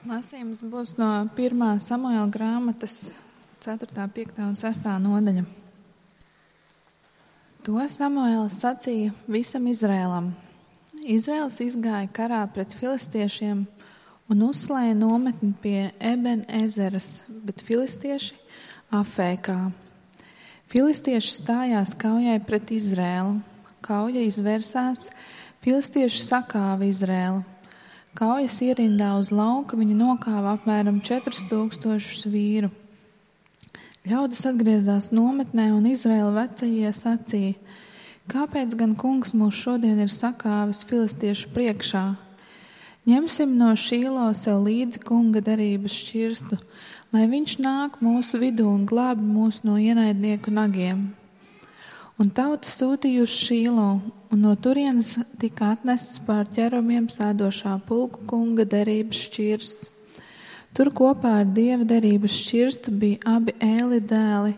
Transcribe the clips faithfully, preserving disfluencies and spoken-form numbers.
Lasījums būs no pirmā Samuēla grāmatas ceturtā, piektā un sestā nodaļa. To Samuēls sacīja visam Izrēlam. Izraels izgāja karā pret filistiešiem un uzslēja nometni pie Eben Ezeras, bet filistieši Afēkā. Filistieši stājās kaujai pret Izrēlu. Kauja izvērsās, filistieši sakāva Izrēlu. Kaujas ierindā uz lauka viņi nokāva apmēram četrus tūkstošus vīru. Ļaudis atgriezās nometnē un Izraēla vecajie sacīja: kāpēc gan kungs mūs šodien ir sakāvis filistiešu priekšā? Ņemsim no Šīlo sev līdzi kunga derības šķirstu, lai viņš nāk mūsu vidū un glābi mūs no ienaidnieku nagiem. Un tauta sūtīja uz Šīlo, un no turienes tika atnests pār ķerumiem sēdošā pulku kunga derības šķirsts. Tur kopā ar dieva derības šķirstu bija abi Ēli dēli,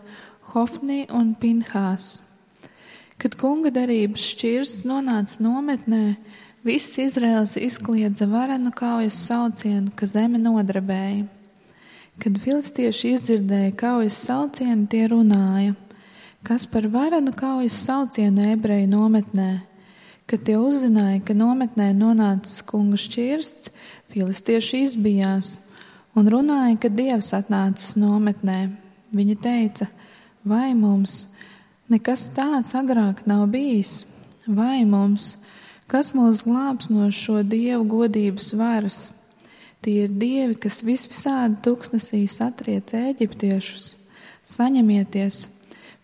Hofni un Pinhās. Kad kunga derības šķirsts nonāca nometnē, viss Izraels izkliedza varenu kaujas saucienu, ka zeme nodarbēja. Kad filistieši izdzirdēja kaujas saucienu, tie runāja: kas par varenu kaujas saucienu ebreju nometnē? Kad tie uzzināja, ka nometnē nonācis kunga šķirsts, filistieši izbijās un runāja, ka dievs atnācis nometnē. Viņi teica: vai mums nekas tāds agrāk nav bijis? Vai mums, kas mūs glābs no šo dievu godības varas? Tie ir dievi, kas visvisādi tuksnesī satriec eģiptiešus. Saņemieties,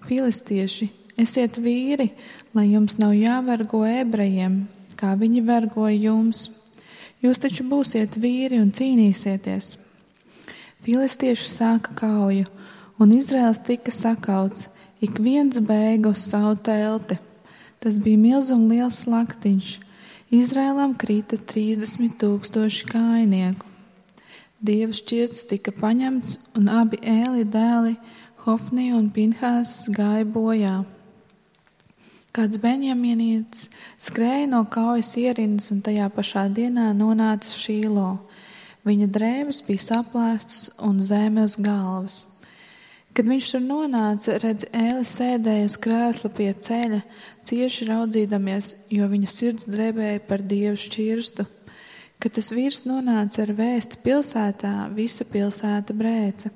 filistieši, esiet vīri, lai jums nav jāvergo ebrejiem, kā viņi vergoja jums. Jūs taču būsiet vīri un cīnīsieties. Filistieši sāka kauju, un Izraels tika sakauts, ik viens bēga uz savu telti. Tas bija milz un liels slaktiņš. Izraēlam krita trīsdesmit tūkstoši kājinieku. Dieva šķirts tika paņemts, un abi Ēli dēli, Hofni un Pinhās, gāja bojā. Kāds benjamīnietis skrēja no kaujas ierindas un tajā pašā dienā nonāca Šīlo. Viņa drēbes bija saplēstas un zeme uz galvas. Kad viņš tur nonāca, redz, Ēli sēdēja uz krēsla pie ceļa, cieši raudzīdamies, jo viņa sirds drebēja par dievu šķirstu. Kad tas vīrs nonāca ar vēsti pilsētā, visa pilsēta brēca.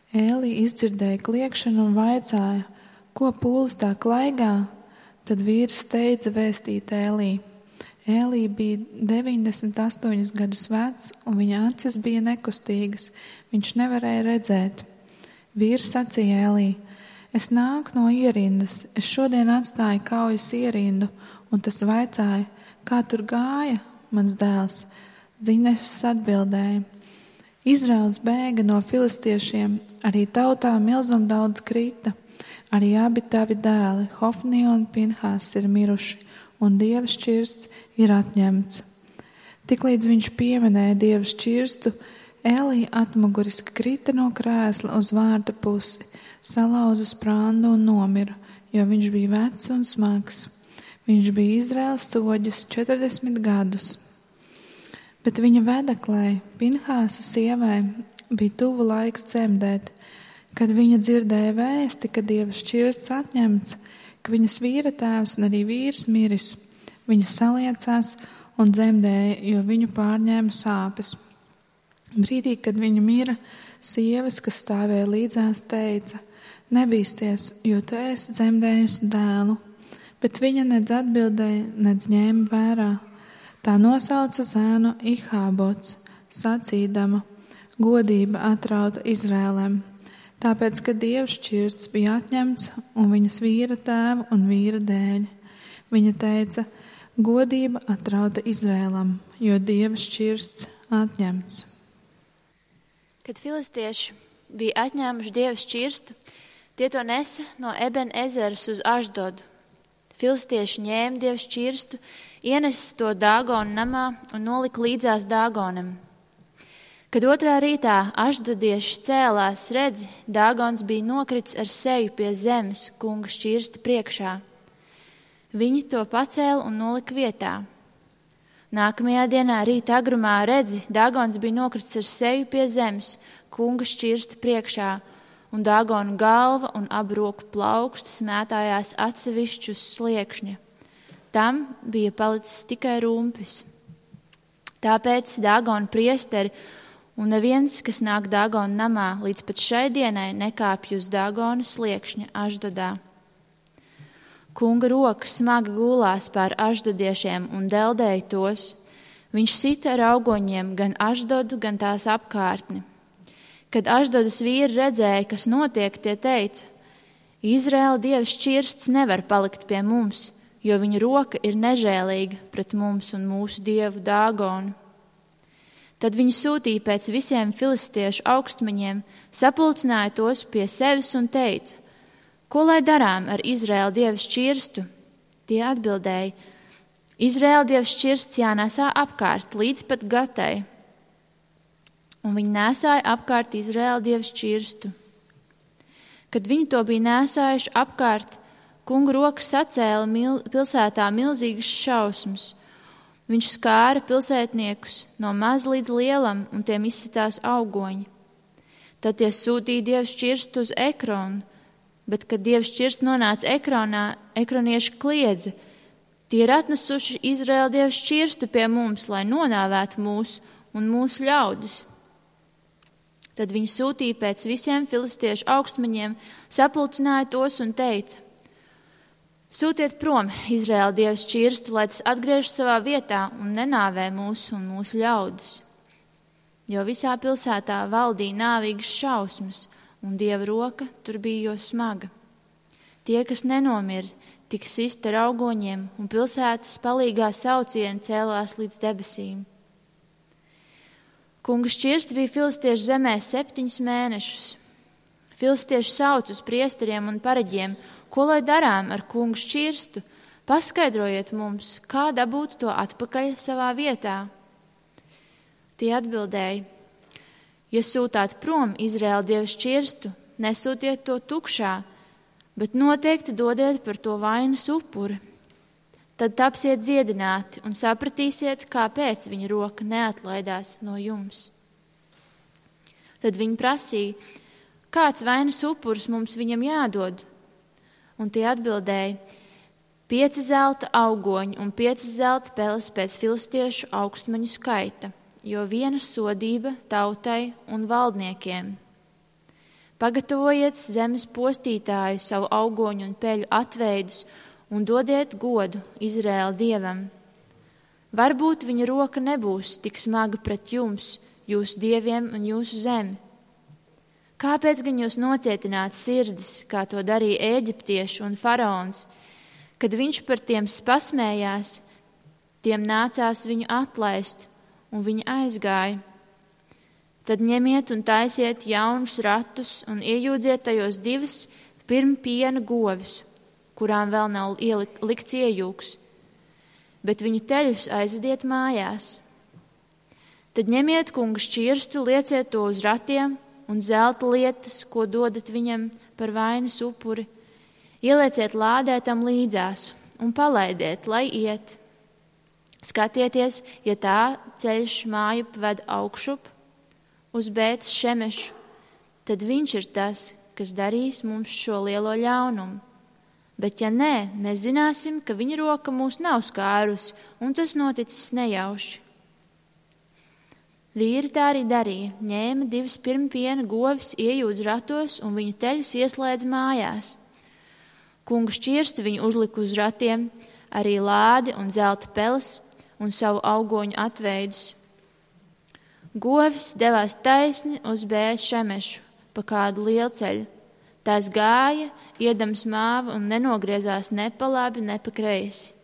Ēli izdzirdēja kliekšanu un vaicāja: ko pūlis tā klaigā? Tad vīrs steidza vēstīt Ēlī. Ēlī bija deviņdesmit astoņus gadus vecs, un viņa acis bija nekustīgas. Viņš nevarēja redzēt. Vīrs sacīja Ēlī: es nāku no ierindas, es šodien atstāju kaujas ierindu, un tas vaicāja: kā tur gāja, mans dēls? Ziņnešs atbildēja: Izraels bēga no filistiešiem, arī tautā milzum daudz krita. Arī abi tavi dēli, Hofni un Pinhās, ir miruši, un dieva šķirsts ir atņemts. Tiklīdz viņš pieminēja dieva šķirstu, Ēlī atmuguriski krita no krēsla uz vārta pusi, salauza sprāndu un nomira, jo viņš bija vecs un smags. Viņš bija Izraels soģis četrdesmit gadus. Bet viņa vedeklē, Pinhāsa sievai, bija tuvu laiks dzemdēt. Kad viņa dzirdēja vēsti, ka dieva šķirsts atņemts, ka viņas vīra tēvs un arī vīrs miris, viņa saliecās un dzemdēja, jo viņu pārņēma sāpes. Brīdī, kad viņa mira, sievas, kas stāvēja līdzās, teica: nebīsties, jo tu esi dzemdējusi dēlu. Bet viņa nedz atbildēja, nedz ņēma vērā. Tā nosauca zēnu Ihābots, sacīdama: godība atrauta Izrēlem. Tāpēc, ka dieva šķirsts bija atņemts un viņas vīra tēva un vīra dēļ. Viņa teica: godība atrauta Izrēlam, jo dieva šķirsts atņemts. Kad filistieši bija atņēmuši dieva šķirstu, tie to nesa no Eben Ezeras uz Ašdodu. Filistieši ņēma dieva šķirstu, ienesis to Dāgona namā un nolika līdzās Dāgonam. Kad otrā rītā ašdodieši cēlās, redzi, Dāgons bija nokritis ar seju pie zemes kunga šķirsta priekšā. Viņi to pacēla un nolika vietā. Nākamajā dienā rīta agrumā redzi, Dagons bija nokritis ar seju pie zemes, kunga šķirsta priekšā, un Dagona galva un abu roku plaukstas mētājās atsevišķi uz sliekšņa. Tam bija palicis tikai rumpis. Tāpēc Dagona priesteri un neviens, kas nāk Dagona namā, līdz pat šai dienai nekāpj uz Dagona sliekšņa Aždodā. Kunga roka smagi gulās pār aždodiešiem un deldēja tos. Viņš sita ar augoņiem gan Aždodu, gan tās apkārtni. Kad Aždodas vīri redzēja, kas notiek, tie teica: Izraēla dievs šķirsts nevar palikt pie mums, jo viņa roka ir nežēlīga pret mums un mūsu dievu Dagonu. Tad viņi sūtīja pēc visiem filistiešu augstmaņiem, sapulcināja tos pie sevis un teica: Ko lai darām ar Izraēla dieva šķirstu? Tie atbildēja: Izraēla dieva šķirsts jānesā apkārt līdz pat Gatai. Un viņi nesāja apkārt Izraēla dieva šķirstu. Kad viņi to bija nesājuši apkārt, kunga roka sacēla mil, pilsētā milzīgas šausmas. Viņš skāra pilsētniekus no maz līdz lielam, un tiem izsitās augoņi. Tad tie sūtīja dieva šķirstu uz Ekronu. Bet, kad dievs šķirsts nonāca Ekronā, ekronieši kliedza: Tie ir atnesuši Izraēla dievu šķirstu pie mums, lai nonāvētu mūs un mūsu ļaudis. Tad viņi sūtīja pēc visiem filistiešu augstmaņiem, sapulcināja tos un teica: Sūtiet prom Izraēla dievu šķirstu, lai tas atgriežas savā vietā un nenāvē mūs un mūsu ļaudis. Jo visā pilsētā valdīja nāvīgas šausmas, un dieva roka tur bija jo smaga. Tie, kas nenomira, tika sisti ar augoņiem, un pilsētas palīgā saucieni cēlās līdz debesīm. Kunga šķirsts bija filistiešu zemē septiņus mēnešus. Filistieši sauc uz priesteriem un pareģiem: Ko lai darām ar kunga šķirstu? Paskaidrojiet mums, kā dabūt to atpakaļ savā vietā. Tie atbildēja: Ja sūtāt prom Izraēla dieva šķirstu, nesūtiet to tukšā, bet noteikti dodiet par to vainas upuri. Tad tapsiet dziedināti un sapratīsiet, kāpēc viņa roka neatlaidās no jums. Tad viņi prasīja: Kāds vainas upuris mums viņam jādod? Un tie atbildēja: Pieci zelta augoņi un pieci zelta peles pēc filistiešu augstmaņu skaita, jo viena sodība tautai un valdniekiem. Pagatavojiet zemes postītāju savu augoņu un peļu atveidus un dodiet godu Izraēla dievam. Varbūt viņa roka nebūs tik smaga pret jums, jūsu dieviem un jūsu zemi. Kāpēc gan jūs nocietināt sirdis, kā to darīja Ēģiptieši un faraons? Kad viņš par tiem pasmējās, tiem nācās viņu atlaist, un viņi aizgāja. Tad ņemiet un taisiet jaunus ratus un iejūdziet tajos divas pirmpiena govis, kurām vēl nav ielikts iejūks, bet viņu teļus aizvediet mājās. Tad ņemiet kunga šķirstu, lieciet to uz ratiem un zelta lietas, ko dodat viņam par vainas upuri, ielieciet lādē tam līdzās un palaidiet, lai iet. Skatieties, ja tā ceļš māju ved augšup uz Bētes Šemešu, tad viņš ir tas, kas darīs mums šo lielo ļaunumu. Bet ja nē, mēs zināsim, ka viņa roka mūs nav skārusi, un tas noticis nejauši. Vīri tā arī darīja, ņēma divas pirmpiena govis, iejūdz ratos un viņu teļus ieslēdz mājās. Kunga šķirstu viņu uzlika uz ratiem, arī lādi un zelta peles un savu augoņu atveidus. Govis devās taisni uz Bētes Šemešu pa kādu lielceļu. Tās gāja, iedams māvu un nenogriezās ne pa labi, ne pa kreisi.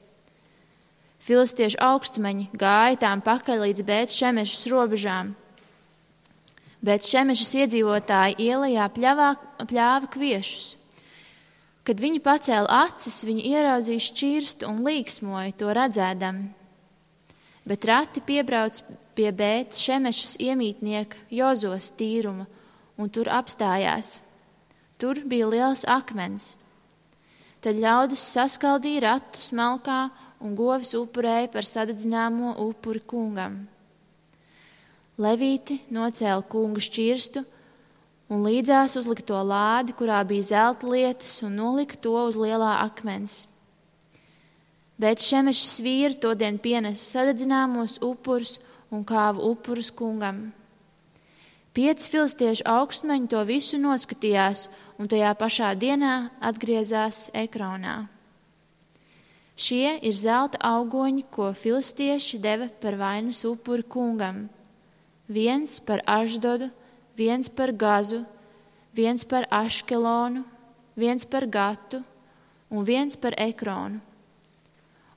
Filistiešu augstmeņi gāja tām pakaļ līdz Bētes Šemešas robežām. Bētes Šemešas iedzīvotāji ielajā pļavā, pļāva kviešus. Kad viņi pacēla acis, viņi ieraudzīja šķirstu un līksmoja to redzēdam. Bet rati piebrauc pie Bētes Šemešas iemītnieka Jozos tīruma un tur apstājās. Tur bija liels akmens. Tad ļaudis saskaldīja ratus malkā un govis upurēja par sadedzināmo upuri kungam. Levīti nocēla kunga šķirstu un līdzās uzlika to lādi, kurā bija zelta lietas, un nolika to uz lielā akmens. Bet Šemešas vīri todien pienesa sadedzināmos upurus un kāva upurus kungam. Pieci filistiešu augstmeņi to visu noskatījās, un tajā pašā dienā atgriezās Ekronā. Šie ir zelta augoņi, ko filistieši deva par vainas upuri kungam. Viens par Ašdodu, viens par Gazu, viens par Aškelonu, viens par Gatu un viens par Ekronu.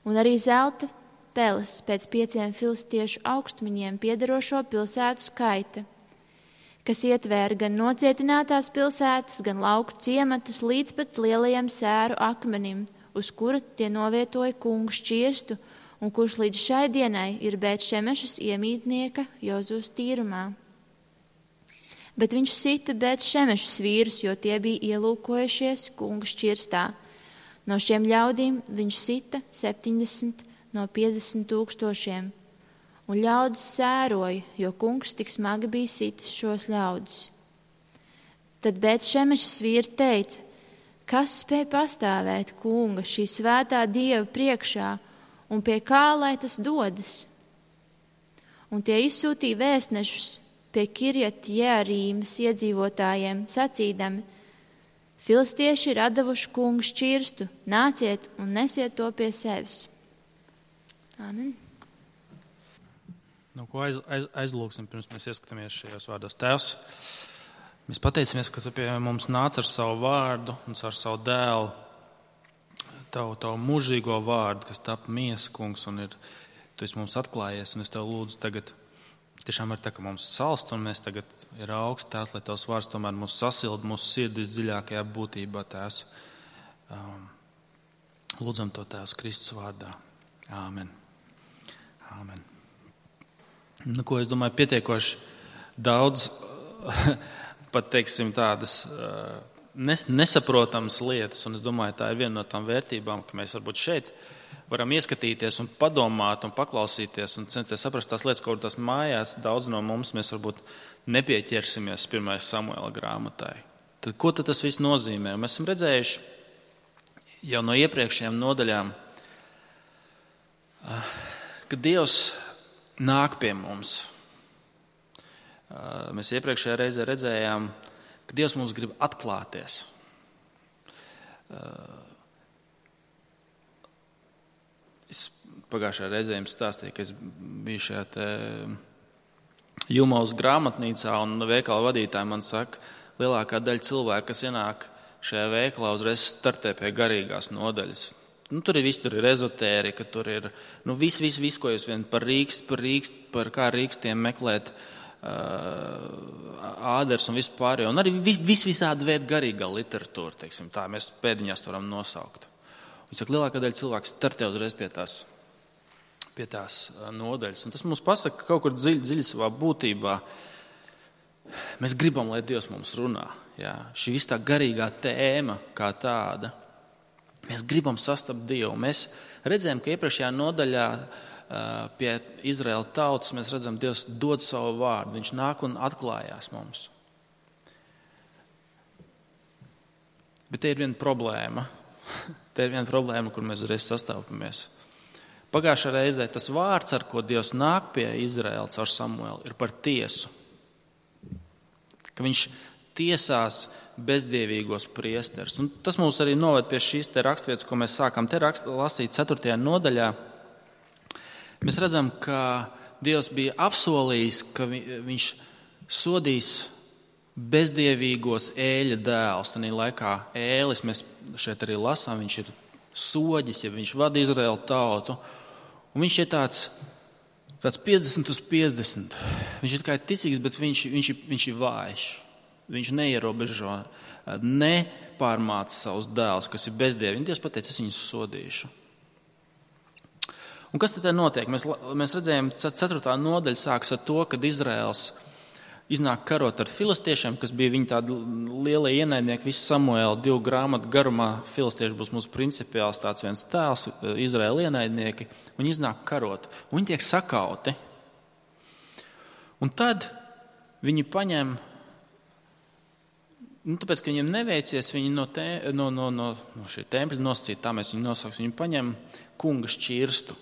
Un arī zelta peles pēc pieciem filistiešu augstmeņiem piederošo pilsētu skaita, kas ietvēra gan nocietinātās pilsētas, gan lauku ciematus līdz pat lielajam sēru akmenim, uz kura tie novietoja kungu šķirstu, un kurš līdz šai dienai ir Bet-Šemešas iemītnieka Jozūs tīrumā. Bet viņš sita Bet-Šemešas vīrus, jo tie bija ielūkojušies kunga šķirstā. No šiem ļaudīm viņš sita septiņdesmit no piecdesmit tūkstošiem. Un ļaudis sēroja, jo kungs tik smagi bija sitis šos ļaudis. Tad Bet-Šemešas vīri teica, kas spēj pastāvēt kunga šī svētā dieva priekšā, un pie kā lai tas dodas? Un tie izsūtīja vēstnešus pie Kirjat Jearīmas iedzīvotājiem, sacīdami, filistieši ir atdevuši kungu šķirstu, nāciet un nesiet to pie sevis. Āmen. Nu, ko aiz, aiz, aizlūksim, pirms mēs ieskatāmies šajos vārdos. Tēvs, mēs pateicamies, ka tu pie mums nāc ar savu vārdu un ar savu dēlu, tavu, tavu mūžīgo vārdu, kas tapa miesa, kungs, un ir, tu esi mums atklājies, un es tev lūdzu tagad, tiešām ir tā, ka mums salst, un mēs tagad ir augsts, tēvs, lai tavs vārds tomēr mūs sasilda, mūsu sirdis dziļākajā būtībā, tēvs. Um, lūdzam to, tēvs, Kristus vārdā. Āmen. Āmen. Nu, ko es domāju, pietiekoši daudz, pat teiksim tādas nes, nesaprotamas lietas, un es domāju, tā ir viena no tām vērtībām, ka mēs varbūt šeit varam ieskatīties un padomāt un paklausīties un censties saprast tās lietas, kaut tās mājās daudz no mums mēs varbūt nepieķersimies pirmais Samuela grāmatai. Tad ko tad tas viss nozīmē? Mēs esam redzējuši jau no iepriekšējām nodaļām, ka Dievs nāk pie mums. Mēs iepriekšējā reizē redzējām, ka Dievs mums grib atklāties. Es pagājušajā reizē jums stāstīju, ka es biju šajā te Jumaus grāmatnīcā, un veikala vadītāji man saka, lielākā daļa cilvēku, kas ienāk šajā veikalā, uzreiz startē pie garīgās nodaļas. Nu, tur ir viss, tur ir ezotērika, tur ir nu, viss, viss, vis, ko jūs vien par rīkst, par rīkst, par kā rīkstiem meklēt uh, āders un vispār. Un arī vis, vis visādi veidi garīgā literatūra, teiksim tā, mēs pēdiņās to varam nosaukt. Viņš saka, lielākā daļa cilvēks startē uzreiz pie tās, pie tās nodaļas. Un tas mums pasaka, ka kaut kur dziļi, dziļi savā būtībā mēs gribam, lai Dievs mums runā. Jā. Šī viss tā garīgā tēma kā tāda. Mēs gribam sastapt Dievu. Mēs redzējām, ka iepriekšējā nodaļā pie Izraēla tautas mēs redzam, Dievs dod savu vārdu. Viņš nāk un atklājās mums. Bet te ir viena problēma. Te ir viena problēma, kur mēs uzreiz sastāpamies. Pagājušā reizē tas vārds, ar ko Dievs nāk pie Izraēla caur Samuelu, ir par tiesu. Ka viņš tiesās bezdievīgos priesterus. Un tas mūs arī noved pie šīs te rakstvietas, ko mēs sākam te rakst, lasīt ceturtajā nodaļā. Mēs redzam, ka Dievs bija apsolījis, ka vi, viņš sodīs bezdievīgos Ēļa dēlus. Tanī laikā Ēlis, mēs šeit arī lasām, viņš ir soģis, ja viņš vada Izraēlu tautu. Un viņš ir tāds, tāds piecdesmit uz piecdesmit. Viņš ir kā ticīgs, bet viņš, viņš, viņš ir vājš. Viņš neierobežo, nepārmāca savus dēlus, kas ir bezdievi. Dievs pateica, es viņus sodīšu. Un kas tad notiek? Mēs, mēs redzējām, ceturtā nodaļa sāks ar to, kad Izraels iznāk karot ar filistiešiem, kas bija viņa tādi lielie ienaidnieki, visu Samuēlu divu grāmatu garumā. Filistieši būs mūsu principiāls tāds viens tēls, Izraēla ienaidnieki. Viņi iznāk karot. Viņi tiek sakauti. Un tad viņi paņem, nu, tāpēc, ka viņiem neveicies, viņi no, te, no, no, no, no šī tempļa nosacīt, tā mēs viņu nosauks, viņi paņem kunga šķirstu,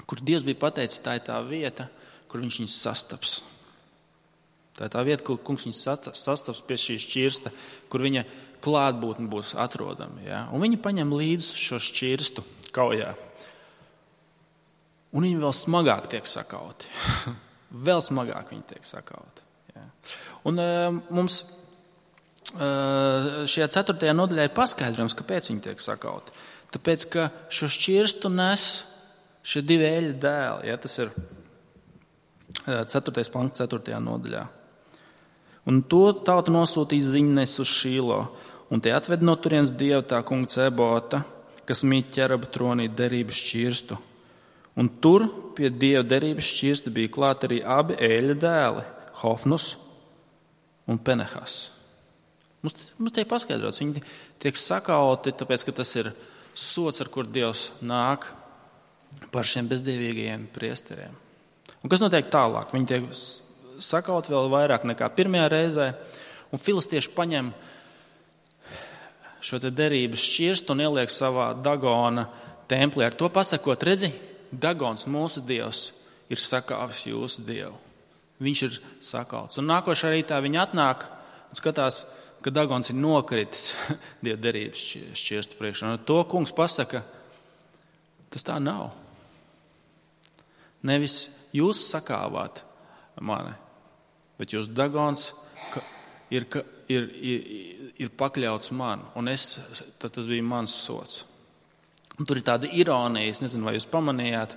kur Dievs bija pateicis, tā ir tā vieta, kur viņš viņus sastaps. Tā ir tā vieta, kur kungs viņus sastaps pie šī šķirsta, kur viņa klātbūtne būs atrodama. Ja? Un viņi paņem līdzi šo šķirstu kaujā. Un viņi vēl smagāk tiek sakauti. vēl smagāk viņi tiek sakauti. Ja? Un uh, mums uh, šajā ceturtajā nodaļā ir paskaidrojums, kāpēc viņi tiek sakauti. Tāpēc, ka šo šķirstu nes šie divi eļļa dēli. Ja? Tas ir ceturtais pants, ceturtajā nodaļā. Un to tauta nosūtīja ziņnes uz Šīlo, un tie atved no turienes Dievu tā kunga Cebota, kas mīt ķeraba tronī derības šķirstu. Un tur pie Dieva derības šķirsta bija klāt arī abi eļļa dēli, Hofnus un Penehas. Mums, mums tiek paskaidrots, viņi tiek sakauti, tāpēc, ka tas ir sots, ar kur Dievs nāk par šiem bezdievīgajiem priesteriem. Un kas notiek tālāk? Viņi tiek sakauti vēl vairāk nekā pirmajā reizē, un filistieši paņem šo te derības šķirstu un ieliek savā Dagona templī. Ar to pasakot, redzi, Dagons, mūsu Dievs, ir sakāvis jūsu Dievu. Viņš ir sakauts. Un nākošā rītā viņi atnāk un skatās, ka Dagons ir nokritis Dieva derības šķirstu priekšā. Un to kungs pasaka, tas tā nav. Nevis jūs sakāvāt mani, bet jūs Dagons ir, ir, ir, ir pakļauts man, un es, tas bija mans sots. Un tur ir tāda ironija, es nezinu, vai jūs pamanījāt,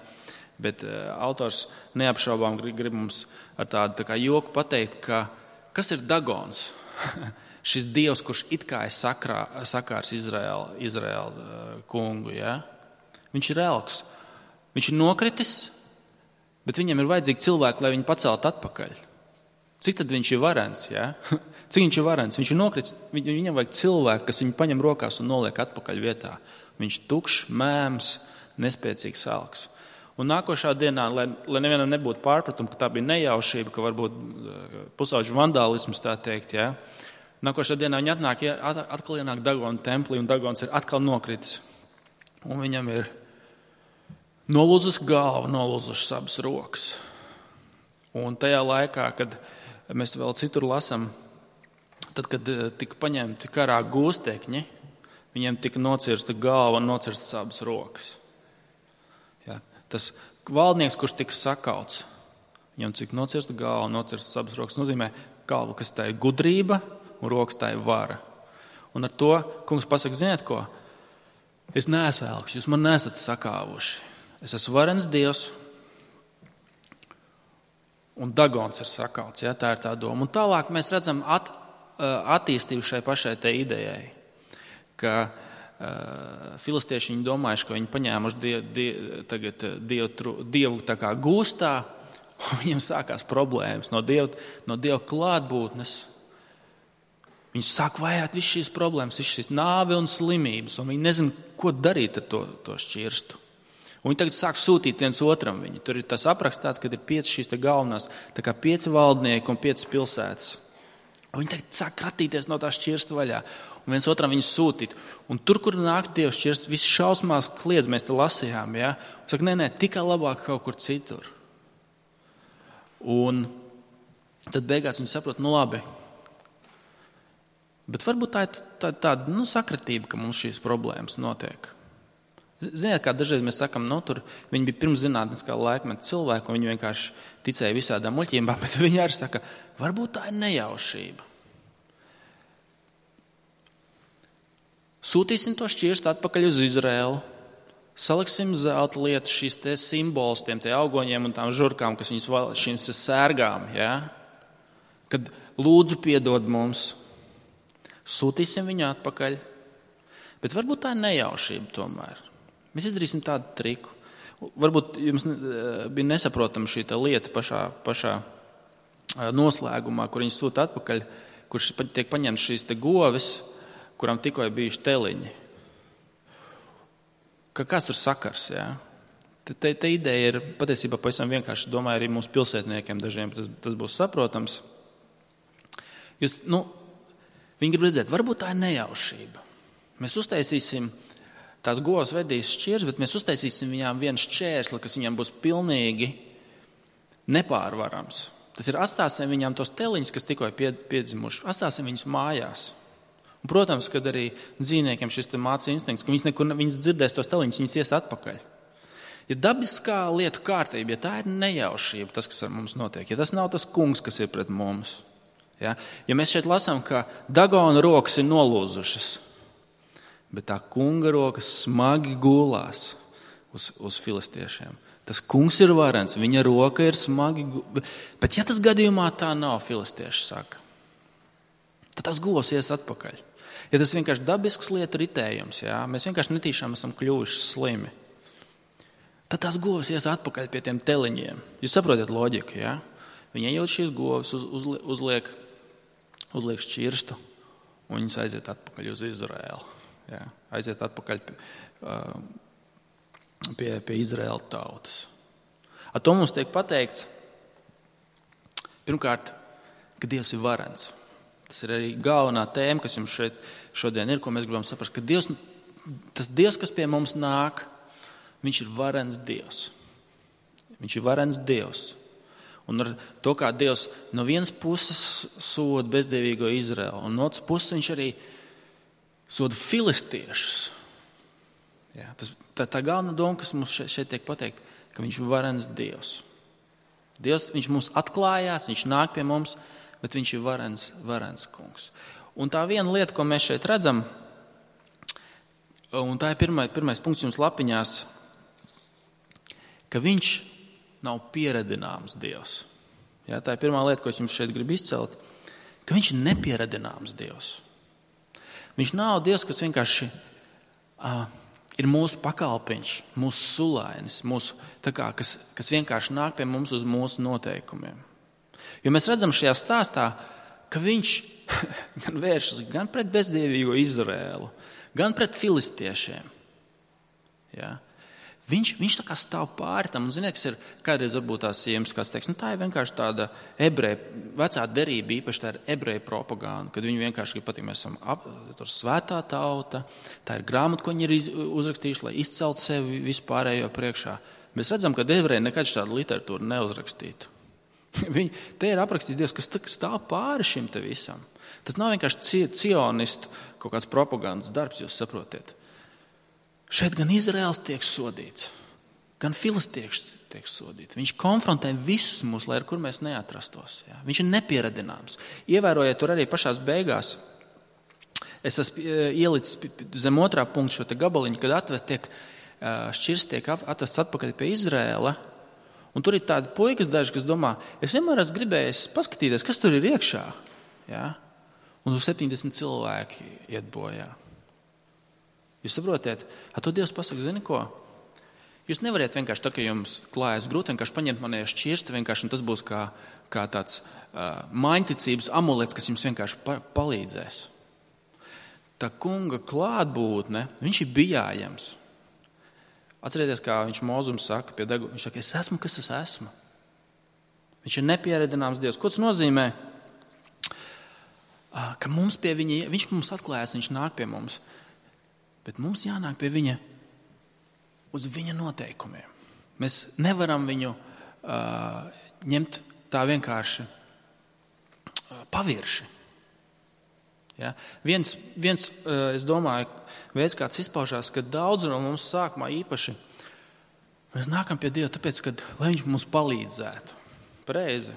bet uh, autors neapšaubām grib, grib mums ar tādu tā kā joku pateikt, ka kas ir Dagons? Šis dievs, kurš it kā ir sakrā, sakārs Izraēla, Izraēla uh, kungu, ja? Viņš ir elks. Viņš ir nokritis, bet viņam ir vajadzīgi cilvēki, lai viņu paceltu atpakaļ. Cik tad viņš ir varens? Ja? Cik viņš ir varens? Viņš ir nokritis, viņam vajag cilvēku, kas viņu paņem rokās un noliek atpakaļ vietā. Viņš tukšs, mēms, nespēcīgs elks. Un nākošā dienā, lai, lai nevienam nebūtu pārpratumu, ka tā bija nejaušība, ka varbūt pusauģu vandālisms, tā teikt, ja? Nākošā dienā viņi atnāk, atkal ienāk Dagona templī, un Dagons ir atkal nokritis. Un viņam ir nolūzus galva, nolūzušas abas rokas. Un tajā laikā, kad mēs vēl citur lasam, tad, kad tika paņemti karā gūstekņi, viņiem tika nocirsta galva un nocirstas abas rokas. Ja, tas valdnieks, kurš tika sakauts, viņam cik nocirsta galva un nocirstas abas rokas, nozīmē galva, kas tā ir gudrība un rokas tā ir vara. Un ar to kungs pasaka, ziniet ko? Es neesmu elks, jūs man neesat sakāvuši. Es esmu varens Dievs, un Dagons ir sakauts. Ja, tā ir tā doma. Un tālāk mēs redzam at, attīstību šai pašai te idejai, ka uh, filistieši viņi domājuši, ka viņi paņēmuši die, die, tagad dievu, dievu tā kā gūstā, un viņiem sākās problēmas no Dieva, no Dieva klātbūtnes. Viņi sāk vajāt visu šīs problēmas, visu šīs nāvi un slimības, un viņi nezin, ko darīt ar to, to šķirstu. Un viņi tagad sāk sūtīt viens otram viņu. Tur ir tas aprakstāts, kad ir pieci šīs te galvenās, tā kā pieci valdnieki un pieci pilsētas. Un viņi tagad sāk kratīties no tā šķirsta vaļā. Un viens otram viņu sūtīt. Un tur, kur nāk Dievs šķirsts, visi šausmās kliedz, mēs te lasījām. Ja? Un saka, nē, nē, tikai labāk kaut kur citur. Un tad beigās viņi saprot, nu labi. Bet varbūt tā ir tāda tā, nu, sakritība, ka mums šīs problēmas notiek. Ziniet, kā dažreiz mēs sakam, nu, tur viņi bija pirms zinātniskā laikmeta cilvēki, un viņi vienkārši ticēja visādām muļķībām, bet viņi arī saka, varbūt tā ir nejaušība. Sūtīsim to šķirstu atpakaļ uz Izraēlu, saliksim zelta lietas, šīs te simbols, tiem te augoņiem un tām žurkām, kas viņus vēl šīm sērgām, ja? Kad lūdzu piedod mums, sūtīsim viņu atpakaļ, bet varbūt tā ir nejaušība tomēr. Mēs izdarīsim tādu triku. Varbūt jums bija nesaprotama šī lieta pašā, pašā noslēgumā, kur viņi sūta atpakaļ, kurš tiek paņemts šīs te govis, kuram tikko ir bijuši teliņi. Ka kas tur sakars, jā? Te, te, te ideja ir patiesībā pavisam vienkārši, domāju, arī mūsu pilsētniekiem dažiem tas, tas būs saprotams. Jūs, nu, viņi grib redzēt, varbūt tā ir nejaušība. Mēs uztaisīsim, tās govs vedīs šķirs, bet mēs uztaisīsim viņām vienu šķērsli, kas viņām būs pilnīgi nepārvarams. Tas ir, atstāsim viņām tos teliņus, kas tikko ir piedzimuši, atstāsim viņus mājās. Un, protams, kad arī dzīvniekiem šis māca instinkts, ka viņas nekur, viņas dzirdēs tos teliņus, viņas ies atpakaļ. Ja dabiskā lietu kārtība, ja tā ir nejaušība, tas, kas ar mums notiek, ja tas nav tas kungs, kas ir pret mums, ja, ja mēs šeit lasām, ka Dagona rokas ir nolūzušas, bet tā kunga rokas smagi gulās uz, uz filistiešiem. Tas kungs ir varens, viņa roka ir smagi, bet ja tas gadījumā tā nav, filistieši saka, tad tas govs ies atpakaļ. Ja tas vienkārši dabisks lietu ritējums, jā, mēs vienkārši netīšām esam kļuvuši slimi, tad tās govs ies atpakaļ pie tiem teliņiem. Jūs saprotat loģiku, jā? Viņi ejot šīs govs, uz, uz, uzliek, uzliek šķirstu, un viņas aiziet atpakaļ uz Izraēlu. Jā? Aiziet atpakaļ pie, pie, pie Izraēla tautas. Ar to mums tiek pateikts, pirmkārt, ka Dievs ir varens. Tas ir arī galvenā tēma, kas jums šeit šodien ir, ko mēs gribam saprast, ka Dievs, tas Dievs, kas pie mums nāk, viņš ir varens Dievs. Viņš ir varens Dievs. Un ar to, kā Dievs no vienas puses soda bezdievīgo Izraelu, un no otras puses viņš arī soda filistiešus. Jā, tas, tā, tā galvenā doma, kas mums šeit, šeit tiek pateikt, ka viņš ir varens Dievs. Dievs, viņš mums atklājās, viņš nāk pie mums, bet viņš ir varens, varens kungs. Un tā viena lieta, ko mēs šeit redzam, un tā ir pirmais, pirmais punkts jums lapiņās, ka viņš nav pieredināms Dievs. Jā, tā ir pirmā lieta, ko es jums šeit gribu izcelt, ka viņš ir nepieredināms Dievs. Viņš nav Dievs, kas vienkārši uh, ir mūsu pakalpiņš, mūsu sulainis, mūsu, tā kā, kas, kas vienkārši nāk pie mums uz mūsu noteikumiem. Jo mēs redzam šajā stāstā, ka viņš gan vēršas gan pret bezdievīgo Izraēlu, gan pret filistiešiem. Ja? Viņš, viņš tā kā stāv pāri tam, un ziniet, kas ir kādreiz varbūt tās siemas, kāds teiks, nu tā ir vienkārši tāda ebreja, vecā derība, īpaši tā ir ebreja propaganda, kad viņi vienkārši grib pateikt, mēs esam ap, svētā tauta, tā ir grāmata, ko viņi ir uzrakstījuši, lai izceltu sevi vispārējo priekšā. Mēs redzam, ka ebreji nekad šādu literatūru neuzrakstītu. Viņi, te ir aprakstīts Dievs, kas stāv pāri šim te visam. Tas nav vienkārši cionistu kaut kāds propagandas darbs, jūs saprotiet. Šeit gan Izraels tiek sodīts, gan filistieši tiek sodīti. Viņš konfrontē visus mūs, lai ar kur mēs neatrastos. Jā. Viņš ir nepieredināms. Ievērojiet tur arī pašās beigās. Es esmu ielicis zem otrā punkta šo te gabaliņu, kad atvest tiek, šķirs tiek atvests atpakaļ pie Izraēla. Un tur ir tādi puikas daži, kas domā, es vienmēr esmu gribējis paskatīties, kas tur ir iekšā. Ja? Un tur septiņdesmit cilvēki iet bojā. Jūs saprotiet, ar to Dievs pasaka, zini ko? Jūs nevariet vienkārši tā, ka jums klājas grūti, vienkārši paņemt manēju šķirsti, vienkārši, un tas būs kā, kā tāds uh, maiņticības amulets, kas jums vienkārši pa, palīdzēs. Tā kunga klātbūtne, viņš ir bijājams. Atcerieties, kā viņš Mozum saka pie degu, viņš saka, es esmu, kas es esmu. Viņš ir nepieredināms Dievs. Ko tas nozīmē? Ka mums pie viņa, viņš mums atklājas, viņš nāk pie mums, bet mums jānāk pie viņa uz viņa noteikumiem. Mēs nevaram viņu uh, ņemt tā vienkārši uh, pavirši. Ja? Viens, viens, es domāju, veids, kāds izpaužās, ka daudz no mums sākumā īpaši mēs nākam pie Dieva tāpēc, ka, lai viņš mums palīdzētu. Pareizi.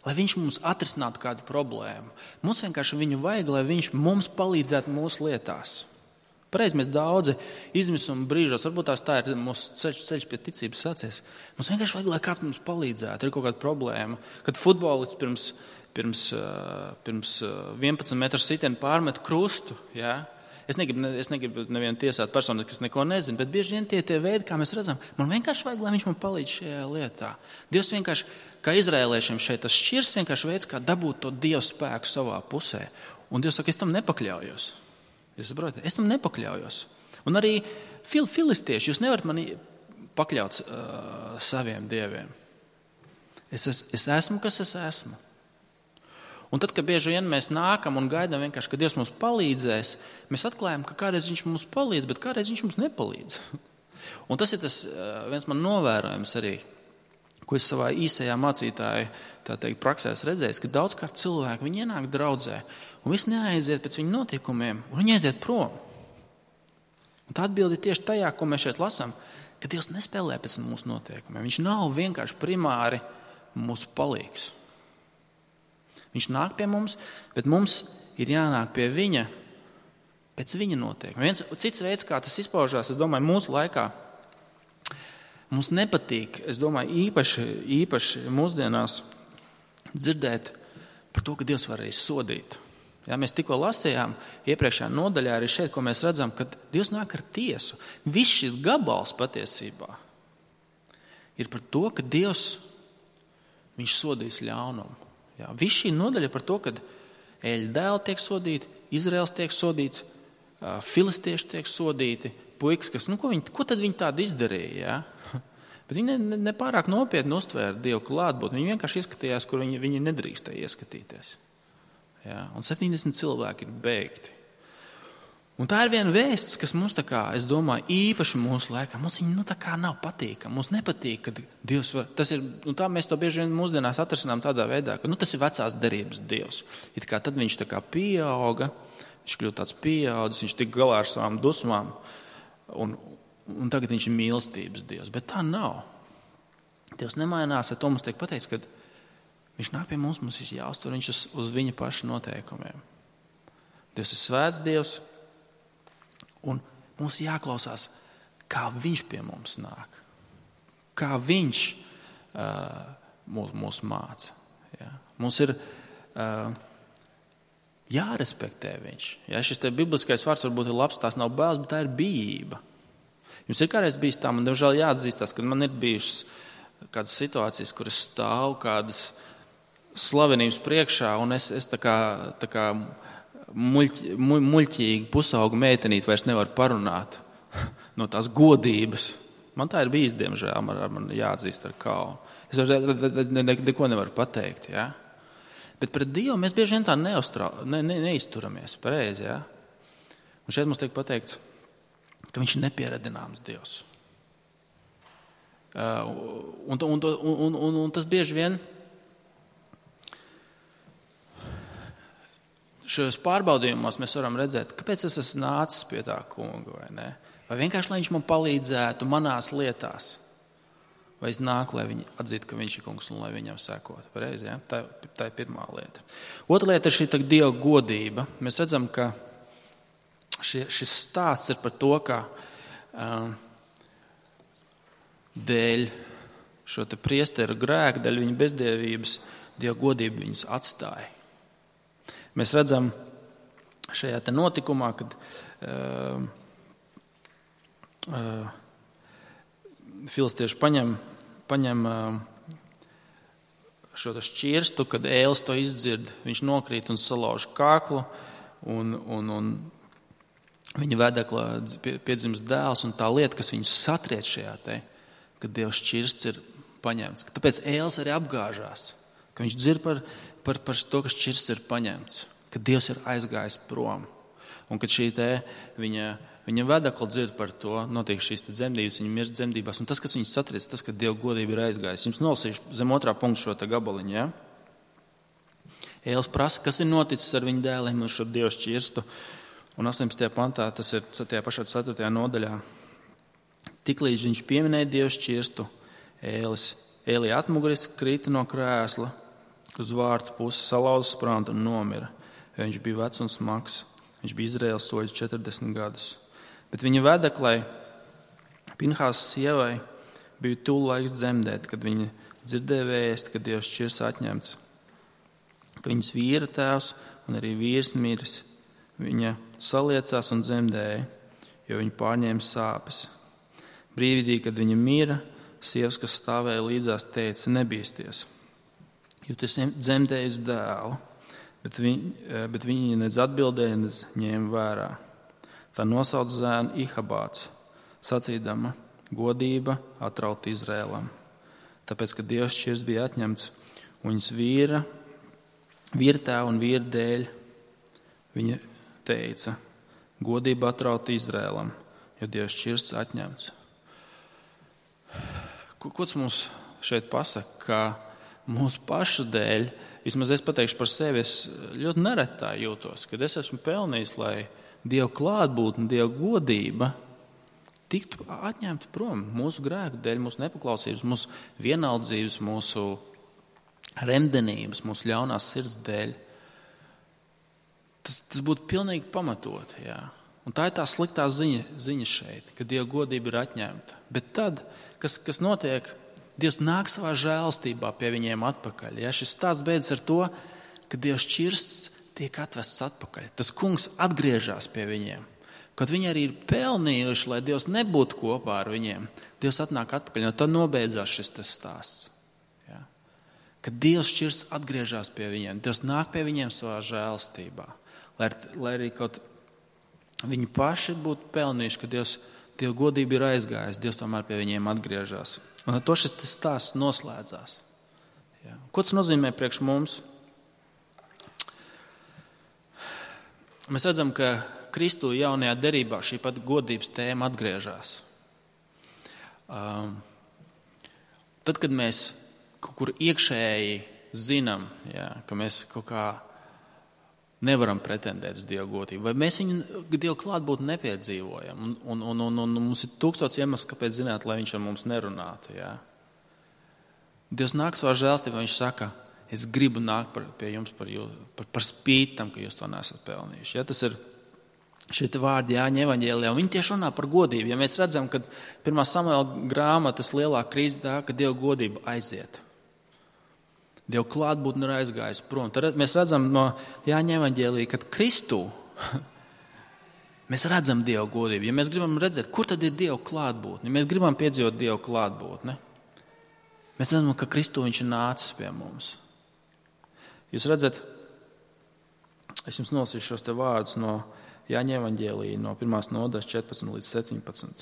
Lai viņš mums atrisinātu kādu problēmu. Mums vienkārši viņu vajag, lai viņš mums palīdzētu mūsu lietās. Pareizi, mēs daudzi izmisuma brīžos, varbūt tās tā ir mūsu ceļš, ceļš pie ticības sācies. Mums vienkārši vajag, lai kāds mums palīdzētu. Ir kaut kāda problēma. Kad futbolists pirms Pirms, pirms vienpadsmit metru sitienu pārmet krustu. Ja? Es negribu, es negribu nevienu tiesāt personu, kas neko nezina, bet bieži vien tie, tie veidi, kā mēs redzam, man vienkārši vajag, lai viņš man palīdz šajā lietā. Dievs vienkārši, kā izrēliešiem šeit, tas šķirs vienkārši veids, kā dabūt to Dievu spēku savā pusē. Un Dievs saka, es tam nepakļaujos. Jūs saprotat? Es tam nepakļaujos. Un arī fil, filistieši, jūs nevarat mani pakļaut uh, saviem dieviem. Es, es, es esmu, kas es esmu. Un tad, kad bieži vien mēs nākam un gaidām vienkārši, ka Dievs mums palīdzēs, mēs atklājam, ka kādreiz viņš mums palīdz, bet kādreiz viņš mums nepalīdz. Un tas ir tas viens man novērojums arī, ko es savā īsajā mācītāju tā teikt, praksēs redzējis, ka daudzkārt cilvēki, viņi ienāk draudzē, un viss neaiziet pēc viņu notikumiem, un viņi aiziet prom. Un tā atbilde ir tieši tajā, ko mēs šeit lasām, ka Dievs nespēlē pēc mūsu noteikumiem. Viņš nav vienkārši primāri mūsu palīgs. Viņš nāk pie mums, bet mums ir jānāk pie viņa pēc viņa noteikumiem. Viens cits veids, kā tas izpaužās, es domāju, mūsu laikā mums nepatīk, es domāju, īpaši, īpaši mūsdienās dzirdēt par to, ka Dievs var arī sodīt. Ja, mēs tikko lasījām iepriekšējā nodaļā arī šeit, ko mēs redzam, ka Dievs nāk ar tiesu. Viss šis gabals patiesībā ir par to, ka Dievs, viņš sodīs ļaunumu. Ja, viss šī nodaļa par to, ka Eļa dēli tiek sodīti, Izraels tiek sodīts, filistieši tiek sodīti, puikas, kas, nu, ko, viņi, ko tad viņi tādu izdarīja? Ja? Bet viņi ne, ne, ne pārāk nopietni uztvēra Dievu klātbūtni. Viņi vienkārši ieskatījās, kur viņi, viņi nedrīkstēja ieskatīties. Ja? Un septiņdesmit cilvēki ir beigti. Un tā ir viena vēsts, kas mums, tā kā, es domāju, īpaši mūsu laikā, mums viņa nu, tā kā nav patīkama. Mums nepatīk, ka Dievs var, tas ir, un tā mēs to bieži vien mūsdienās atrasinām tādā veidā, ka nu, tas ir vecās derības Dievs. It kā tad viņš tā kā pieauga, viņš kļūst tāds pieaudzis, viņš tik galā ar savām dusmām, un, un tagad viņš ir mīlestības Dievs. Bet tā nav. Dievs nemainās, ar to mums tiek pateikts, ka viņš nāk pie mums, mums ir jāuztur viņš uz, uz viņa paša noteikumiem. Dievs ir svēts Dievs, un mums jāklausās, kā viņš pie mums nāk. Kā viņš uh, mūs, mūs māca. Ja? Mums ir uh, jārespektē viņš. Ja? Šis te bibliskais vārds varbūt ir labs, tās nav bailes, bet tā ir bijība. Jums ir kādreiz bijis tā, man diemžēl jāatzīstās, ka man ir bijušas kādas situācijas, kur es stāvu kādas slavenības priekšā, un es, es tā kā... Tā kā Muļķi, muļķīgi pusauga meitenīt vairs nevar parunāt no tās godības. Man tā ir bijis, diemžēl, man, man jāatzīst ar kaunu. Es vairs ne, ne, neko nevaru pateikt. Ja? Bet pret Dievu mēs bieži vien tā neuztrā, ne, ne, neizturamies pareizi. Ja? Un šeit mums tiek pateikts, ka viņš ir nepieradināms Dievs. Uh, un, un, un, un, un tas bieži vien šajos pārbaudījumos mēs varam redzēt, kāpēc es esmu nācis pie tā kunga, vai ne? Vai vienkārši, lai viņš man palīdzētu manās lietās, vai es nāku, lai viņi atzītu, ka viņš ir kungs un lai viņam sekot. Pareizi, ja? Tā, tā ir pirmā lieta. Otra lieta ir šī tā Dieva godība. Mēs redzam, ka šie, šis stāsts ir par to, ka um, dēļ šo te priesteru grēku, dēļ viņa bezdievības, Dieva godība viņus atstāja. Mēs redzam šajā te notikumā, kad uh, uh, filistieši paņem, paņem uh, šo šķirstu, kad ēlis to izdzird, viņš nokrīt un salauž kāklu, un, un, un viņa vedeklā piedzimst dēls, un tā lieta, kas viņus satriec šajā te, kad Dieva šķirsts ir paņemts. Tāpēc ēlis arī apgāžās, ka viņš dzird par Par, par to, ka šķirsts ir paņemts, ka Dievs ir aizgājis prom. Un kad šī te viņa, viņa vedekla dzird par to, notiek šīs te dzemdības, viņa mirst dzemdībās. Un tas, kas viņus satriec, tas, ka Dieva godība ir aizgājis. Jums nolasīšu zem otrā punkta šo te gabaliņu. Ja? Ēlis prasa, kas ir noticis ar viņu dēliem un šo Dieva šķirstu. Un astoņpadsmitajā pantā, tas ir tajā pašā ceturtajā nodaļā. Tiklīdz viņš pieminēja Dieva šķirstu, Ēlis, Ēlī atmuguris krita no krēsla, uz vārtu pusi salauza sprantu un nomira. Viņš bija vecs un smags. Viņš bija Izraēlas soļus četrdesmit gadus. Bet viņa vedeklai, Pinhās sievai, bija tuvu laiks dzemdēt, kad viņa dzirdēja vēsti, ka Dievs šķirs atņemts. Ka viņas vīra tēvs un arī vīrs miris. viņa saliecās un dzemdēja, jo viņa pārņēma sāpes. Brīdī, kad viņa mira, sievas, kas stāvēja līdzās, teica: nebīsties, jo tu esi dzemdējusi dēlu, bet, viņ, bet viņa nedz atbildēja, nedz ņēma vērā. Tā nosauca zēnu Ihabāts, sacīdama: godība atraut Izrēlam. Tāpēc, ka Dievs šķirs bija atņemts, un viņas vīra, vīra tēva un vīra dēļ, viņa teica: godība atraut Izrēlam, jo Dievs šķirs atņemts. Ko, ko tas mums šeit pasaka? Ka mūsu pašu dēļ, vismaz es pateikšu par sevi, es ļoti neretā jūtos, kad es esmu pelnījis, lai Dieva klātbūtne, Dieva godība tiktu atņemta prom mūsu grēku dēļ, mūsu nepaklausības, mūsu vienaldzības, mūsu remdenības, mūsu ļaunās sirds dēļ. Tas, tas būtu pilnīgi pamatot. Jā. Un tā ir tā sliktā ziņa, ziņa šeit, ka Dieva godība ir atņemta. Bet tad, kas, kas notiek, Dievs nāk savā žēlstībā pie viņiem atpakaļ. Ja? Šis stāsts beidzas ar to, ka Dievs šķirsts tiek atvests atpakaļ. Tas kungs atgriežas pie viņiem. Kad viņi arī ir pelnījuši, lai Dievs nebūtu kopā ar viņiem, Dievs atnāk atpakaļ, un tad nobeidzās šis tas stāsts. Ja? Kad Dievs šķirsts atgriežas pie viņiem, Dievs nāk pie viņiem savā žēlstībā. Lai, lai arī kaut viņi paši būtu pelnījuši, ka Dievs, Dieva godība ir aizgājusi, Dievs tomēr pie viņiem atgriežas. Un ar to šis tas stāsts noslēdzās. Ja? Ko tas nozīmē priekš mums? Mēs redzam, ka Kristu jaunajā derībā šī pat godības tēma atgriežas. Um, tad, kad mēs kaut kur iekšēji zinām, ja, ka mēs kaut kā nevaram pretendēt uz Dieva godību, vai mēs viņu Dieva klātbūtni nepiedzīvojam, un, un, un, un, un mums ir tūkstots iemesls, kāpēc zināt, lai viņš ar mums nerunātu. Ja. Dievs nāk savā žēlstībā, viņš saka: es gribu nākt par, pie jums par, jū, par, par spīti tam, ka jūs to nesat pelnījuši. Ja, tas ir šie vārdi Jāņa evaņģēlijā, un viņi tieši runā par godību. Ja mēs redzam, ka pirmā Samuela grāmatas lielā krīze tā, ka Dieva godība aiziet. Dieva klātbūtne ir aizgājis prom. Tad mēs redzam no Jāņa evaņģēlijā, kad Kristū mēs redzam Dieva godību. Ja mēs gribam redzēt, kur tad ir Dieva klātbūtne, ja mēs gribam piedzīvot Dieva klātbūtni, mēs redzam, ka Kristū viņš ir nācis pie mums. Jūs redzat, es jums nolasīšu šos te vārdus no Jāņa evaņģēlijā, no pirmās nodaļas četrpadsmit līdz septiņpadsmit.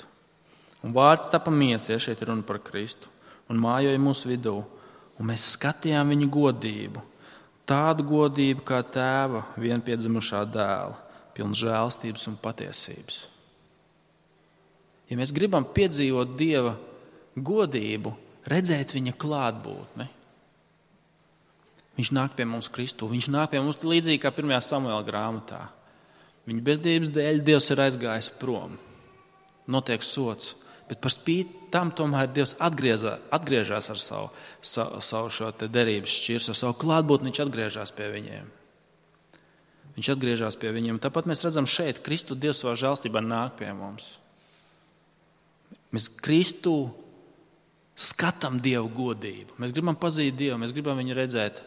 Un vārds tapa miesa, ja šeit ir runa par Kristu, un mājoja mūsu vidū, un mēs skatījām viņu godību, tādu godību kā tēva vienpiedzimušā dēla, pilna žēlstības un patiesības. Ja mēs gribam piedzīvot Dieva godību, redzēt viņa klātbūtni, viņš nāk pie mums Kristu, viņš nāk pie mums līdzīgi kā pirmajā Samuela grāmatā. Viņa bezdievības dēļ Dievs ir aizgājis prom. Notiek sots, bet par spīti tam tomēr Dievs atgriezā, atgriežas ar savu, savu, savu šo te derības šķirs, ar savu klātbūtni viņš atgriežas pie viņiem. Viņš atgriežas pie viņiem. Tāpat mēs redzam šeit, Kristu Dievs savā žēlstībā nāk pie mums. Mēs Kristu skatām Dievu godību. Mēs gribam pazīt Dievu, mēs gribam viņu redzēt.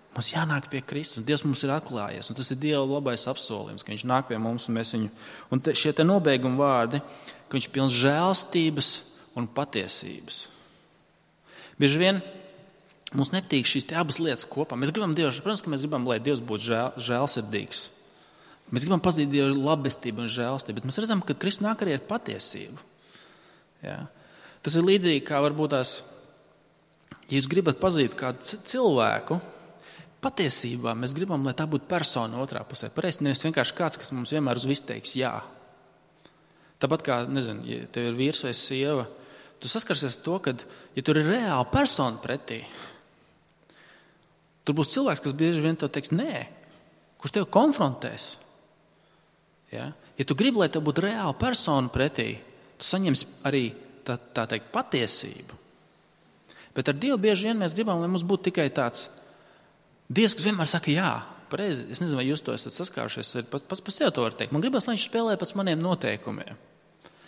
Mums jānāk pie Kristus, un Dievs mums ir atklājies, un tas ir Dieva labais apsolījums, ka viņš nāk pie mums, un mēs viņu, un te, šie te nobeiguma vārdi, ka viņš pilns žēlstības un patiesības. Bieži vien mums nepatīk šīs te abas lietas kopā. Mēs gribam Dievu, protams, ka mēs gribam, lai Dievs būtu žēl, žēlsirdīgs. Mēs gribam pazīt Dievu labestību un žēlstību, bet mēs redzam, ka Kristus nāk arī ar patiesību. Jā. Tas ir līdzīgi, kā varbūt tās, ja jūs gribat pazīt kādu cilvēku, patiesībā mēs gribam, lai tā būtu persona otrā pusē. Pareizi, nevis vienkārši kāds, kas mums vienmēr uz visu teiks jā. Tāpat kā, nezinu, ja tev ir vīrs vai sieva, tu saskarsies to, ka, ja tur ir reāla persona pretī, tur būs cilvēks, kas bieži vien tev teiks nē, kurš tev konfrontēs. Ja, ja tu gribi, lai tev būtu reāla persona pretī, tu saņemsi arī tā, tā teikt patiesību. Bet ar Dievu bieži vien mēs gribam, lai mums būtu tikai tāds Dievs, kas vienmēr saka jā, pareizi. Es nezinu, vai jūs to esat saskārušies, pats pats par sevi to var teikt. Man gribas, lai viņš spēlē pēc maniem noteikumiem.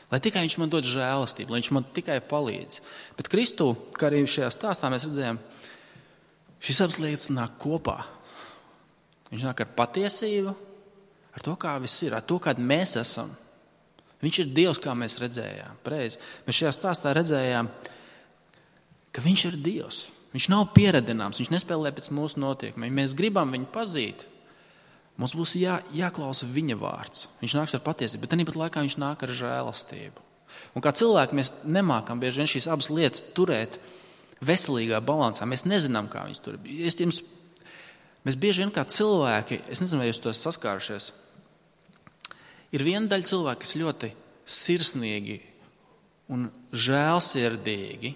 Lai tikai viņš man dod žēlastību, lai viņš man tikai palīdz. Bet Kristu, kā arī šajā stāstā mēs redzējām, šīs abas lietas nāk kopā. Viņš nāk ar patiesību ar to, kā viss ir, ar to, kādi mēs esam. Viņš ir Dievs, kā mēs redzējām. Pareizi. Mēs šajā stāstā redzējām, ka viņš ir Dievs. Viņš nav pieredināms, viņš nespēlē pēc mūsu notiekumiem. Ja mēs gribam viņu pazīt, mums būs jā, jāklausa viņa vārds. Viņš nāks ar patiesību, bet tāpat laikā viņš nāk ar žēlastību. Un kā cilvēki mēs nemākam bieži vien šīs abas lietas turēt veselīgā balansā. Mēs nezinām, kā viņas tur. Es jums, mēs bieži vien kā cilvēki, es nezinu, vai jūs to esat saskārušies, ir viena daļa cilvēki, kas ļoti sirsnīgi un žēlsirdīgi,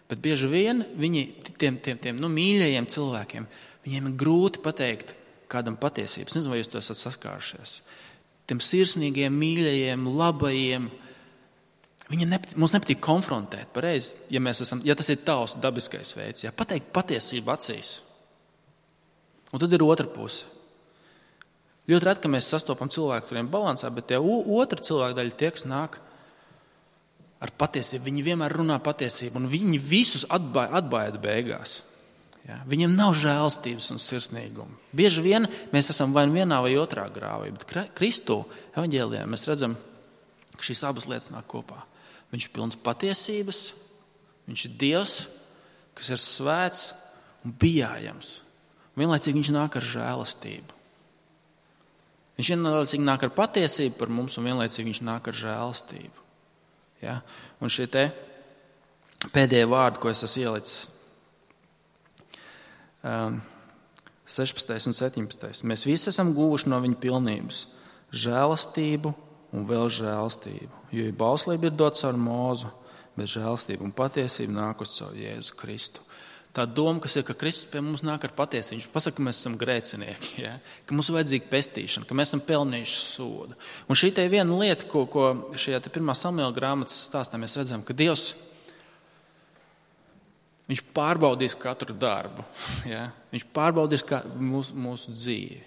bet bieži vien viņi, tiem, tiem, tiem nu, mīļajiem cilvēkiem, viņiem ir grūti pateikt kādam patiesību. Es nezinu, vai jūs to esat saskārušies. Tiem sirsnīgiem, mīļajiem, labajiem, viņi nepatīk, mums nepatīk konfrontēt, pareizi, ja, mēs esam, ja tas ir tavs dabiskais veids, ja, pateikt patiesību acīs. Un tad ir otra puse. Ļoti reti, ka mēs sastopam cilvēku, kuriem balansā, bet tie otra cilvēka daļa tie, kas nāk ar patiesību. Viņi vienmēr runā patiesību, un viņi visus atbaida, atbaida beigās. Ja? Viņiem nav žēlstības un sirsnīguma. Bieži vien mēs esam vai vienā vai otrā grāvī, bet Kristu evaņģēlijā mēs redzam, ka šīs abas lietas nāk kopā. Viņš ir pilns patiesības, viņš ir Dievs, kas ir svēts un bijājams. Vienlaicīgi viņš nāk ar žēlastību. Viņš vienlaicīgi nāk ar patiesību par mums, un vienlaicīgi viņš nāk ar žēlastību. Ja? Un šie te pēdējie vārdi, ko es esmu ielicis, um, sešpadsmitais un septiņpadsmitais. Mēs visi esam guvuši no viņa pilnības žēlastību un vēl žēlastību. Jo bauslība ir dota caur Mūzu, bet žēlastība un patiesība nāk uz caur Jēzu Kristu. Tā doma, kas ir, ka Kristus pie mums nāk ar patiesību. Viņš pasaka, ka mēs esam grēcinieki, ja? Ka mums ir vajadzīga pestīšana, ka mēs esam pelnījuši sodu. Un šī te viena lieta, ko, ko šajā te pirmā Samuela grāmatas stāstā mēs redzam, ka Dievs, viņš pārbaudīs katru darbu. Ja? Viņš pārbaudīs mūsu, mūsu dzīvi.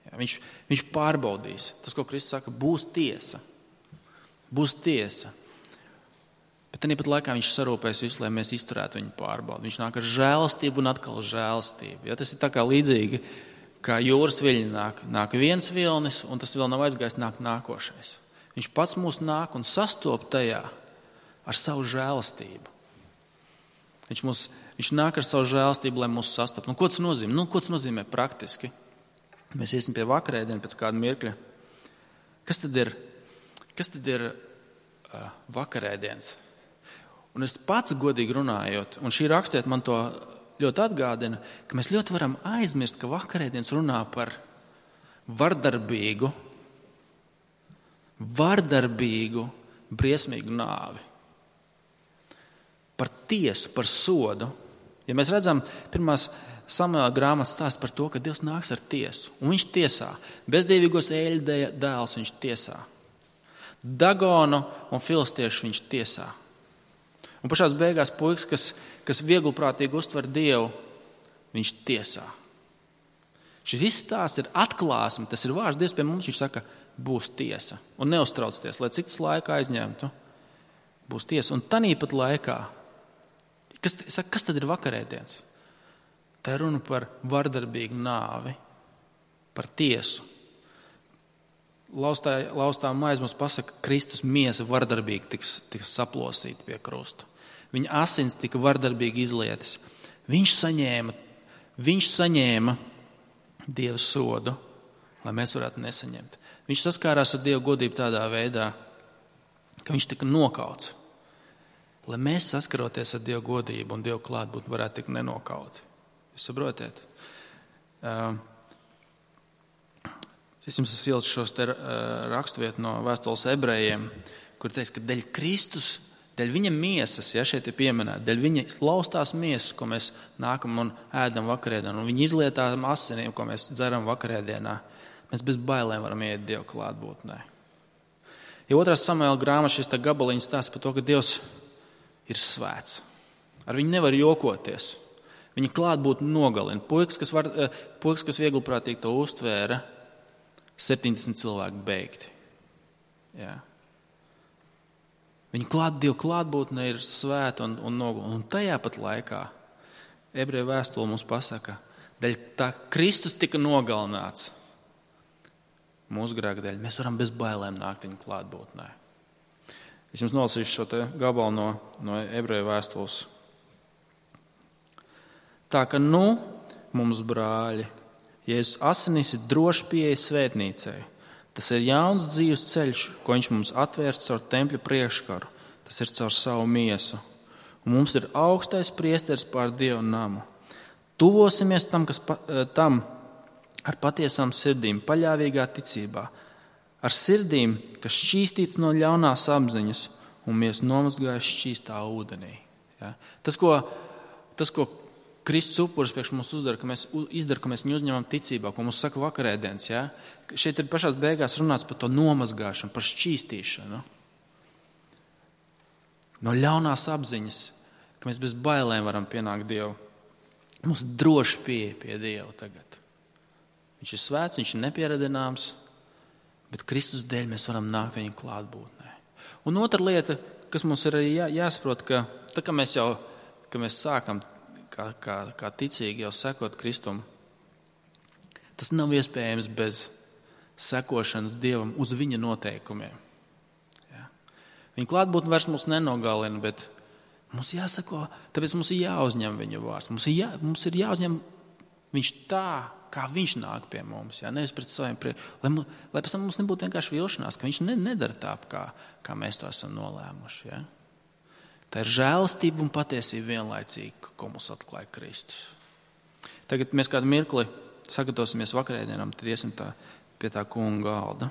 Ja? Viņš, viņš pārbaudīs. Tas, ko Kristus saka, būs tiesa. Būs tiesa. Bet tāpat laikā viņš sarūpēs visu, lai mēs izturētu viņu pārbaudi. Viņš nāk ar žēlastību un atkal žēlastību. Ja, tas ir tā kā līdzīgi, kā jūras viļņi nāk. Nāk viens vilnis, un tas vēl nav aizgājis, nāk nākošais. Viņš pats mūs nāk un sastop tajā ar savu žēlastību. Viņš, mūs, viņš nāk ar savu žēlastību, lai mūs sastop. Nu, ko tas nozīmē? Nu, ko tas nozīmē praktiski? Mēs iesim pie vakarēdiena pēc kāda mirkļa. Kas tad ir, kas tad ir uh, vakarēdienas? Un es pats godīgi runājot, un šī rakstiet man to ļoti atgādina, ka mēs ļoti varam aizmirst, ka vakarēdienas runā par vardarbīgu, vardarbīgu, briesmīgu nāvi. Par tiesu, par sodu. Ja mēs redzam pirmās Samuela grāmatas stāsts par to, ka Dievs nāks ar tiesu, un viņš tiesā. Bezdīvīgos eļļu dēls viņš tiesā. Dagonu un filistiešu viņš tiesā. Un pašās beigās puikas, kas, kas vieglprātīgi uztver Dievu, viņš tiesā. Šis viss tās ir atklāsme, tas ir vārds Dievs pie mums, viņš saka, būs tiesa. Un neuztraucieties, lai cik tas laikā aizņemtu, būs tiesa. Un tanīpat laikā, kas, saka, kas tad ir vakarēdienas? Tā ir runa par vardarbīgu nāvi, par tiesu. Laustā, laustā maize mums pasaka, ka Kristus miesa vardarbīgi tiks, tiks saplosīta pie krusta. Viņa asins tika vardarbīgi izlietas. Viņš saņēma, viņš saņēma Dieva sodu, lai mēs varētu nesaņemt. Viņš saskārās ar Dieva godību tādā veidā, ka viņš tika nokauts. Lai mēs saskaroties ar Dieva godību un Dieva klātbūtni varētu tikt nenokauti. Jūs saprotiet? Uh, Es jums esmu ielicis šos te raksturvietu no vēstules ebrejiem, kur teiks, ka dēļ Kristus, dēļ viņa miesas, ja šeit ir pieminēta, dēļ viņa laustās miesas, ko mēs nākam un ēdam vakarēdienā, un viņa izlietām asinīm, ko mēs dzeram vakarēdienā, mēs bez bailēm varam iet Dieva klātbūtnē. Ja otrās Samuela grāmatas šis gabaliņš stāsta par to, ka Dievs ir svēts. Ar viņu nevar jokoties. Viņa klātbūtni nogalina. Puikas, kas, var, puikas, kas vieglprātīgi to uztvēra, septiņdesmit cilvēki beigti. Jā. Viņa klāt, Dieva klātbūtne ir svēta un, un nogalina. Un tajā pat laikā ebreju vēstule mums pasaka, dēļ tā Kristus tika nogalināts. mūsu grēka dēļ, mēs varam bez bailēm nākt viņa klātbūtnē. Es jums nolasīšu šo te gabalu no, no Ebreju vēstules. Tā ka nu, mums brāļi, Jēzus asinīs ir droši pieeja svētnīcai. Tas ir jauns dzīves ceļš, ko viņš mums atvērs caur tempļa priekškaru. Tas ir caur savu miesu. Un mums ir augstais priesteris pār Dievu namu. Tuvosimies tam, kas pa, tam ar patiesām sirdīm, paļāvīgā ticībā. Ar sirdīm, kas šķīstīts no ļaunās apziņas un mēs nomazgājuši šķīstā ūdenī. Ja? Tas, ko, tas, ko Kristus upuris priekš mums uzdara, ka mēs izdara, ka mēs viņu uzņemam ticībā, ko mums saka vakarēdienas. Ja? Šeit ir pašās beigās runāts par to nomazgāšanu, par šķīstīšanu. No ļaunās apziņas, ka mēs bez bailēm varam pienākt Dievu. Mums droši pieeja pie Dieva tagad. Viņš ir svēts, viņš ir nepieradināms, bet Kristus dēļ mēs varam nākt viņa klātbūtnē. Un otra lieta, kas mums ir arī jā, jāsaprot, ka tā kā mēs jau, ka mēs sākam Kā, kā, kā ticīgi jau sekot Kristum, tas nav iespējams bez sekošanas Dievam uz viņa noteikumiem. Ja? Viņa klātbūtne vairs mūs nenogalina, bet mums jāsako, tāpēc mums ir jāuzņem viņa vārds. Mums ir, jā, mums ir jāuzņem viņš tā, kā viņš nāk pie mums. Ja? Nevis pret saviem prie... lai, lai pēc tam mums nebūtu vienkārši vilšanās, ka viņš ne, nedara tā, kā, kā mēs to esam nolēmuši. Ja? Tā ir žēlastība un patiesība vienlaicīgi, ko mums atklāja Kristus. Tagad mēs kādu mirkli sagatavosimies vakarēdienam, tad iesim tā, pie tā kunga galda.